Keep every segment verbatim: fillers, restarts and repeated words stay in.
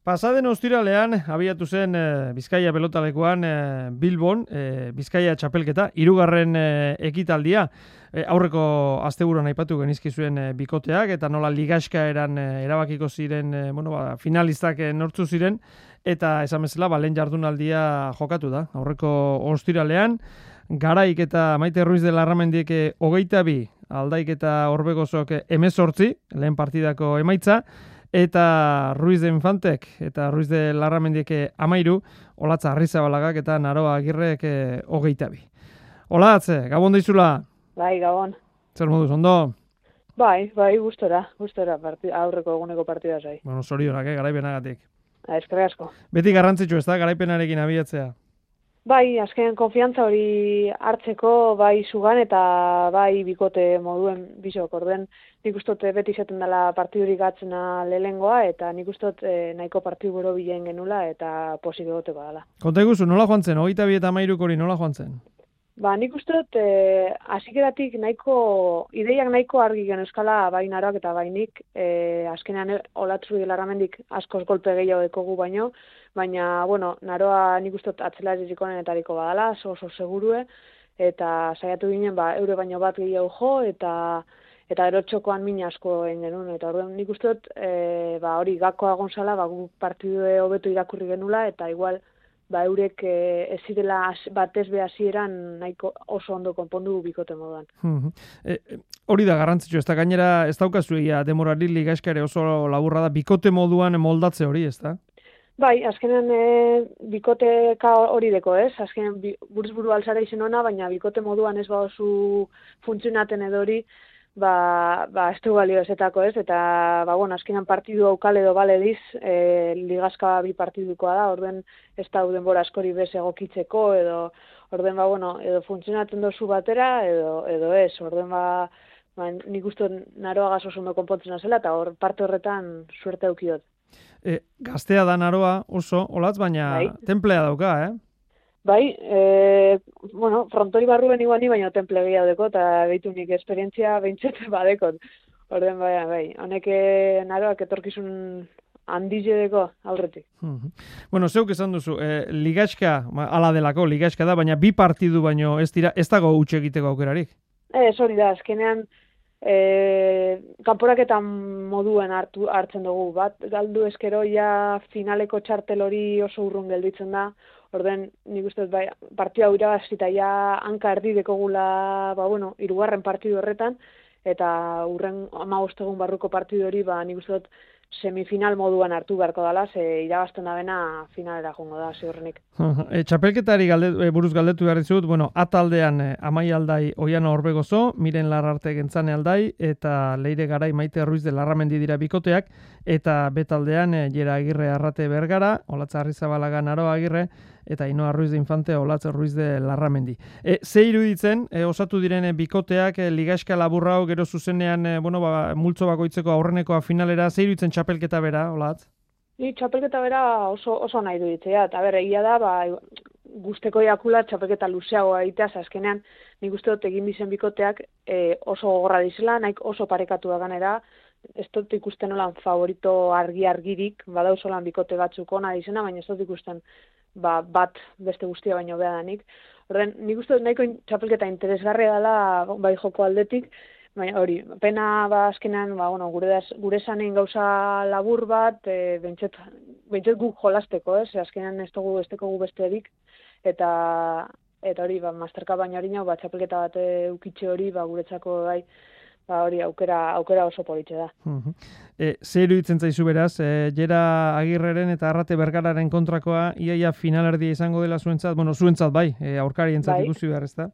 Pasaden ostiralean abiatu zen e, Bizkaia pelotalekuan e, Bilbon, e, Bizkaia txapelketa, hirugarren e, ekitaldia. E, aurreko asteburuan aipatu genizkizuen e, bikoteak, eta nola ligaxka eran e, erabakiko ziren, e, bueno, ba, finalistak e, nortzu ziren, eta esan bezala, ba, lehen jardunaldia jokatu da. Aurreko ostiralean, Garaik eta Maite Ruiz de Larramendiek e, hogeita bi, Aldaik eta Orbegozok e, emezortzi, lehen partidako emaitza, eta Ruiz de Infantek eta Ruiz de Larramendiek amairu, Olatza Arrizabalagak eta Naroa Agirrek hogeita bi. Olatz, gabon daizula? Bai, gabon. Zer moduz, ondo? Bai, bai, gustora, gustora, partida, aurreko eguneko partida zai. Bueno, zorionak, eh, garaipenagatik. Eskerrik asko. Beti garrantzitsu ez da, garaipenarekin abiatzea? Bai, azken konfiantza hori hartzeko, bai zugan eta bai bikote moduen bisok. Orden, nik ustot beti izaten dela partidurik gatzena lehengoa, eta nik ustot eh, nahiko partidu bero bilen genula eta posik egoteko dela. Konta iguzu, nola joan zen? Hogeita bi eta amairuk hori nola joan zen? Ba, nik ustot eh, azikeratik nahiko, ideiak nahiko argi gen euskala bai Naroak eta bai nik, eh, azkenean Olatzu de Larramendik askoz golpe gehiago dekogu baino, baina, bueno, Naroa nik ustot atzelarik onenetariko badala, oso, oso segurue, eta saiatu ginen, ba, eure baino bat gehiago jo, eta eta gero txokoan min asko egin genuen, eta orduan nik ustot, e, ba, hori gakoa gonzala, ba, gu partidu hobeto irakurri genula, eta igual, ba, eurek e, ez zirela batez be hasieran nahiko oso ondo konpondu bikote moduan. e, hori da garrantzitsu, ez da gainera ez daukazu egia demorari ligaskare oso laburra da, bikote moduan moldatze hori, ez da? Bai, azkenean e, bikoteka hori deko, ez? Azkenean bi, buruz buru alzara izen ona, baina bikote moduan ez baozu funtzionaten edo hori, ba, ba ez du balio ezetako, ez? Eta, ba, bueno, azkenean partidu aukal edo bale diz, e, ligazka bi partidukoa da, orden ez da denbora askori bez egokitzeko, edo, orden, ba, bueno, edo funtzionatzen dozu batera, edo, edo ez, orden, ba, ba nik uste Naroa gazo ondo konpontzen zela, eta hor parte horretan suerte aukiot. E, gaztea da Naroa oso, Olatz, baina bai. Templea dauka, eh? Bai, e, bueno, frontori barruen iguani, baina temple gehiago deko, eta behitu nik esperientzia behintzat badekot. Orden, bai, bai, honek Naroak etorkizun handize deko aurretik. Uh-huh. Bueno, zeuk esan duzu, eh, ligaxka, ala delako, ligaxka da, baina bi partidu baino ez dira, ez dago utxe egiteko aukerarik? Ez, hori da, azkenean, E, kanporaketan moduen hartu hartzen dugu, bat galdu eskero ja finaleko txartel hori oso urrun gelditzen da, orden nik uste bai, partida hau irabazita ja hanka erdi dekogula, ba bueno, hirugarren partidu horretan, eta urren hamabost egun barruko partidu hori, ba nik uste dut semifinal moduan hartu beharko dela, ze irabazten da bena finalera jongo da, ziurrenik. e, txapelketari galdetu, e, buruz galdetu behar dizut, bueno, ataldean e, Amai Aldai Oiano Orbegozo, Miren Larrarte Gentzane Aldai, eta Leire Garai Maite Ruiz de Larramendi dira bikoteak, eta betaldean e, Jera Agirre Arrate Bergara, Olatza Arrizabalaga Naroa Agirre, eta Inoa Ruiz de Infante, Olatza Ruiz de Larramendi. E, ze iruditzen, e, osatu diren e, bikoteak, e, ligaxka laburra hau, gero zuzenean, e, bueno, ba, multzo bakoitzeko aurrenekoa finalera, ze iruditzen txapelketa bera, Olatz? Ni txapelketa bera oso, oso nahi duditzea, eta berre, egia da, ba, guzteko jakula txapelketa luzeagoa egitea, azkenean nik uste dut egin dizen bikoteak e, oso gogorra dizela, naik oso parekatu da ganera, ez dut ikusten olan favorito argi-argirik, badauzo lan bikote batzuk ona dizena, baina ez dut ikusten ba, bat beste guztia baino beha danik. Horren, nik uste dut nahiko txapelketa interesgarria dela bai joko aldetik, baina hori, pena ba azkenean, ba, bueno, gure, das, gure zanein gauza labur bat, e, bentset, bentset guk jolasteko, ez? Azkenean ez dugu esteko gu besterik, eta eta hori, ba, masterka baina hori nau, ba, txapelketa bat eukitxe hori, ba, guretzako bai, ba, hori aukera, aukera oso politxe da. Uh-huh. E, zer iruditzen zaizu beraz, e, Jera Agirreren eta Arrate Bergararen kontrakoa iaia finalerdia izango dela zuentzat, bueno, zuentzat bai, e, aurkarientzat bai. Ikusi behar ez da?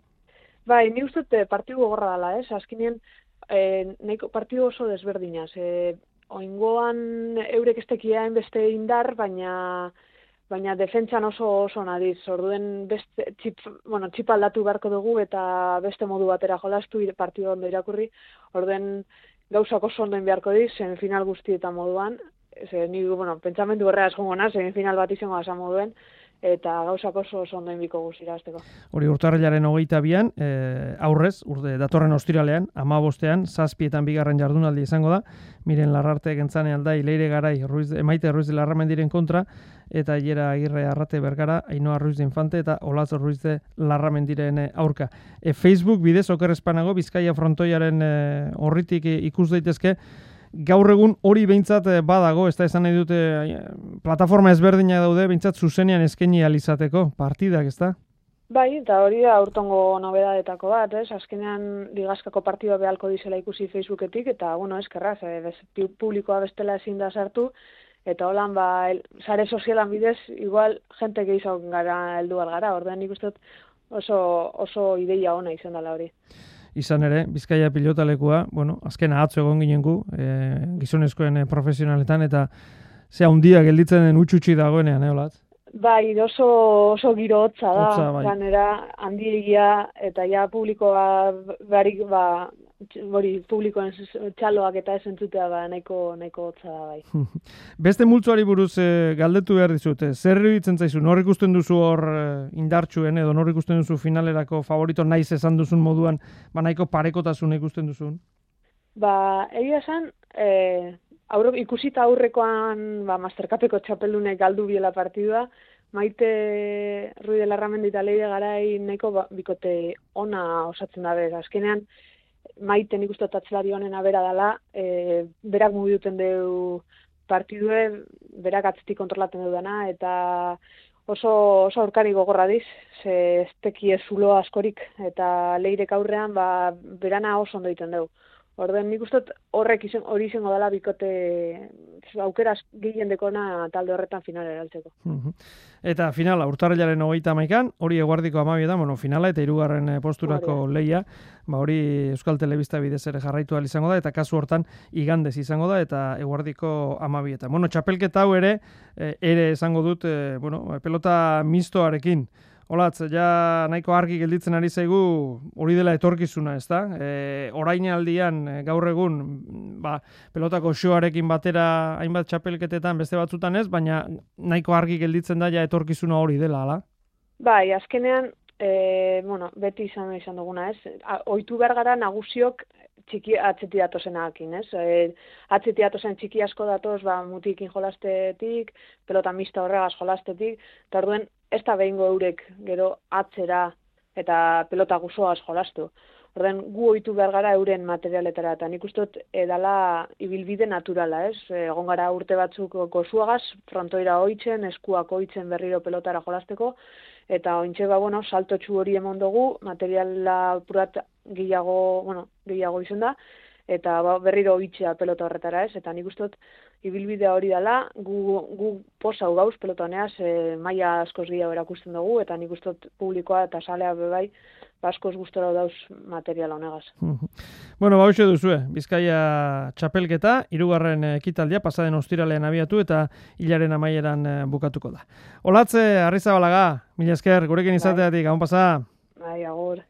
Bai, ni uste dut partidu gogorra dela, ez? Azkenean, e, nahiko partidu oso desberdinaz. E, oingoan eurek estekiaen beste indar, baina baina defentsan oso oso nadiz. Orduen beste txip, bueno, txip aldatu beharko dugu eta beste modu batera jolastu partidu ondo irakurri. Orduen gauzak oso ondo beharko diz, semifinal guztietan moduan. Ze, ni, bueno, pentsamendu horreaz jongo naz, semifinal bat izango asa moduen. eta gauzak oso oso ondo inbiko guzira azteko. Hori urtarrilaren hogeita bian, e, aurrez, urte, datorren ostiralean, amabostean, zazpietan bigarren jardunaldi izango da, Miren Larrarte gentzane aldai, Leire Garai, Ruiz, Emaite Ruiz de Larramendiren kontra, eta Iera Agirre Arrate Bergara, Ainhoa Ruiz de Infante eta Olaz Ruiz de Larramendiren aurka. E, Facebook bidez, oker espanago, Bizkaia frontoiaren e, horritik ikus daitezke, gaur egun hori behintzat badago, ez da esan nahi dute plataforma ezberdina daude, behintzat zuzenean eskaini alizateko partidak, ez da? Bai, eta hori da aurtongo nobedadetako bat, ez? Azkenean ligazkako partidua behalko dizela ikusi Facebooketik, eta, bueno, eskerraz, e, bez, publikoa bestela ezin da sartu, eta holan, ba, el, sare sozialan bidez, igual, jente gehiago gara heldu algara, ordean nik uste oso, oso ideia ona izan dela hori. Izan ere, Bizkaia pilotalekua, bueno, azken atzo egon ginen gu, e, gizonezkoen e, profesionaletan, eta ze handia gelditzen den utxutxi dagoenean, eh, Olatz? Bai, oso, oso giro hotza da, Hotza, bai. ganera handiegia, eta ja publikoa barik, ba, hori publikoen txaloak eta esentzutea ba, nahiko, nahiko hotza da, bai. Beste multzoari buruz e, galdetu behar dizute, zer iruditzen zaizu, nor ikusten duzu hor e, indartsuen, edo nor ikusten duzu finalerako favorito naiz esan duzun moduan, ba nahiko parekotasun ikusten duzun? Ba, egia esan, e, aurre, ikusita aurrekoan ba, Mastercupeko txapeldunek galdu biela partidua, Maite Ruiz de Larramendi eta Leire Garai nahiko ba, bikote ona osatzen dabe. Azkenean, Maite nik uste atzelari honen abera dela, e, berak mugiduten deu partidue, berak atzetik kontrolaten dudana, eta oso, oso aurkari gogorra diz, ze ez teki ez zulo askorik, eta Leirek aurrean ba, berana oso ondo egiten deu. Orden, nik uste horrek izen, hori izango dela bikote aukeraz gehien dekona talde horretan finala eraltzeko. Eta finala, urtarrilaren hogeita hamaikan, hori eguardiko amabietan, bueno, finala eta hirugarren posturako leia, ba hori Euskal Telebista bidez ere jarraitu ahal izango da, eta kasu hortan igandez izango da, eta eguardiko amabietan. Bueno, txapelketa hau ere, ere esango dut, bueno, pelota mistoarekin. Olatz, ja nahiko argi gelditzen ari zaigu hori dela etorkizuna, ez da? E, orainaldian gaur egun ba, pelotako shoarekin batera hainbat txapelketetan beste batzutan ez, baina nahiko argi gelditzen da ja etorkizuna hori dela, ala? Bai, azkenean, e, bueno, beti izan izan duguna, ez? Ohitu behar gara nagusiok txiki atzeti datozenakin, ez? E, atzeti datozen txiki asko datoz, ba, mutikin jolastetik, pelota mista horregaz jolastetik, eta orduen, ez da behingo eurek gero atzera eta pelota guzoaz jolastu. Orden, gu ohitu behar gara euren materialetara, eta nik uste dut edala ibilbide naturala, ez? Egon gara urte batzuk gozuagaz, frontoira oitzen, eskuak oitzen berriro pelotara jolasteko, eta ointxe ba, bueno, saltotxu hori emon dugu, materiala purat gehiago, bueno, gehiago izen da, eta ba, berriro oitzea pelota horretara, ez? Eta nik uste dut ibilbidea hori dela, gu, gu posau gauz pelota honeaz, e, maila askoz gehiago erakusten dugu, eta nik uste dut publikoa eta salea bebai, askoz gustora dauz materiala honegaz. Bueno, ba, hoxe duzue, Bizkaia txapelketa, hirugarren ekitaldia, pasaden ostiralean abiatu eta hilaren amaieran bukatuko da. Olatze, Arrizabalaga, mila esker, gurekin izateatik, gabon pasa? Bai, agur.